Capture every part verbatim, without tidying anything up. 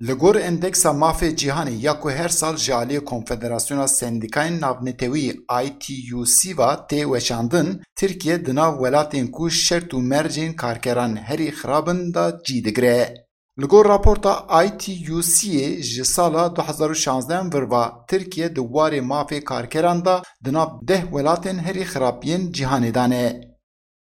Li gor Endeksa Mafê Cîhanê ya ku her sal ji aliyê Konfederasyona Sendîkayên Navnetewî I T U C ve tê weşandin, Tirkiye di nav welatên ku şert û mercên karkeran herî xirab in de cî digire. Li gor raporta I T U C'ê ji sala du hezar û şazdeh vir ve, Tirkiye di warê mafê karkeran de di nav deh welatên herî xirab yên cîhanê de ne.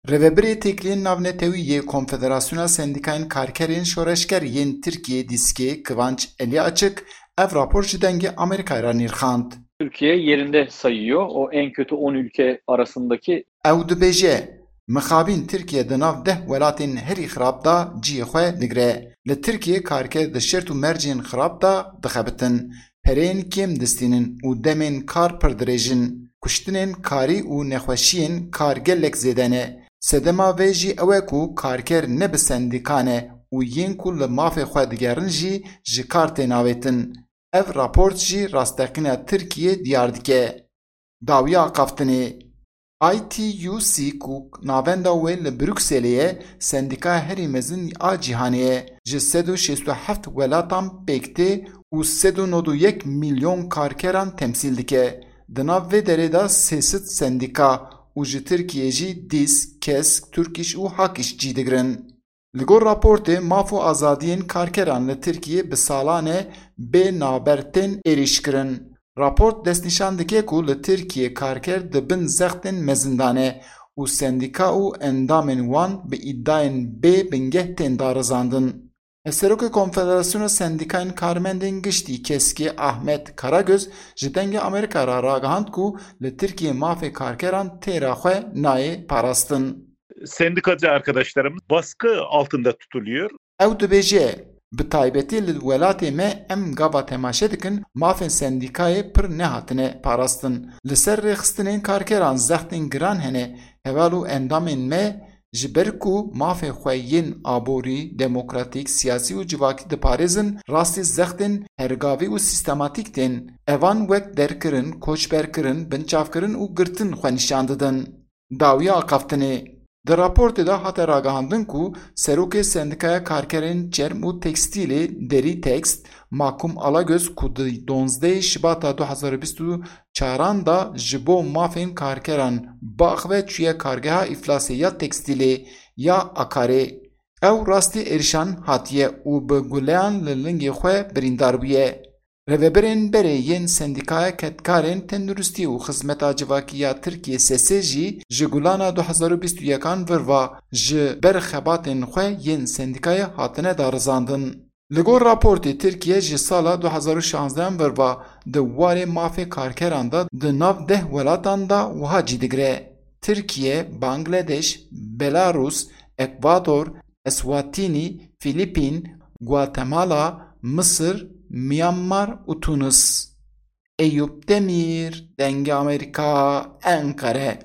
Rêvebirê Têkiliyên Navnetewî yê Konfederasyona Sendîkayên Karkerên Şoreşger yên Tirkiyê Dîskê Kivanç Elîaçik ev rapor ji Dengê Amerîkayê re nirxand. Türkiye yerinde sayıyor. O en kötü on ülke arasındaki Ew dibêje, mixabîn Tirkiye di nav deh welatên herî xirab de cihê xwe digire. Li Tirkiyê karker di şert û mercên xirab de dixebitin, pereyên kêm distînin û demên kar pir dirêj in. Kuştinên karî û nexweşiyên kar gelek zêde ne. Sedema vê jî ew e ku karker ne bi sendîka ne û yên ku li mafê xwe digerin jî ji kar tên avêtin. Ev raport jî rasteqîna Tirkiyê diyar dike. Dawiya axaftinê. I T U C ku navenda wê li Brukselê ye, sendîkaya herî mezin a cîhanê ye. Ji sed û şêst û heft welatan pêk tê û sed û nod û yek milyon karkeran temsîl dike. Di nav vê derê de sê sed sendîka û ji Tirkiyê jî Dîsk, Kesk, Turkiş û Hakiş cî digirin. Li gor raportê, maf û azadiyên karkeran li Tirkiyê bi salan e bê navber tên êrîşkirin. Raport destnîşan dike ku li Tirkiyê karker di bin zextên mezin de ne û sendîka û endamên wan bi îdayên bê bingeh tên darizandin. Serokê Konfederasyona Sendîkayên Karmendên Giştî Keskê Ahmet Karagöz ji Dengê Amerîka re ragihand ku li Tirkiyê mafê karkeran têra xwe nayê parastin. Sendikacı arkadaşlarımız baskı altında tutuluyor. Ew dibêje, bi taybetî li welatê me em gava temaşe dikin, mafên sendîkayê pir nehatine parastin. Li ser rêxistinên karkeran zextên giran hene, heval û endamên me ji ber ku mafê xwe yên aborî, demokratîk, siyasî û civakî diparêzin, rastî zextên hergavî û sîstematîk tên. Evan wek derkirin, koçberkirin, binçavkirin û girtin xwe nîşan didin. Dawiya axaftinê. Di raportê de hate ragihandin ku Serokê Sendîkaya Karkerên Çerm û Tekstîlê Derî Tekst, Makum Alagöz ku di donzdehê Şibata du hezar û bîst û çaran de ji bo mafên karkeran biaxive çûye Kargeha Îflasê ya Tekstîlê ya Akarê. Ew rastî êrişan hatiye û bi guleyan li lingê xwe birîndar bûye. Rêvebirên berê yên Sendîkaya Kedkarên Tenduristî û Xizmeta Civakî ya Tirkiyê, SESE, jî ji gulana du hezar û bîst û yekan vir ve ji ber xebatên xwe yên sendîkayê hatine darizandin. Li gor raportê, Tirkiye ji sala du hezar û şazdeh vir ve di warê mafê karkeran de di nav deh welatan de wiha cî digire: Tirkiye, Bangladeş, Belarus, Ekvador, Eswatînî, Fîlîpîn, Guatemala, Misir, Myanmar û Tunis. Eyûp Demîr, Dengê Amerîka, Enqere.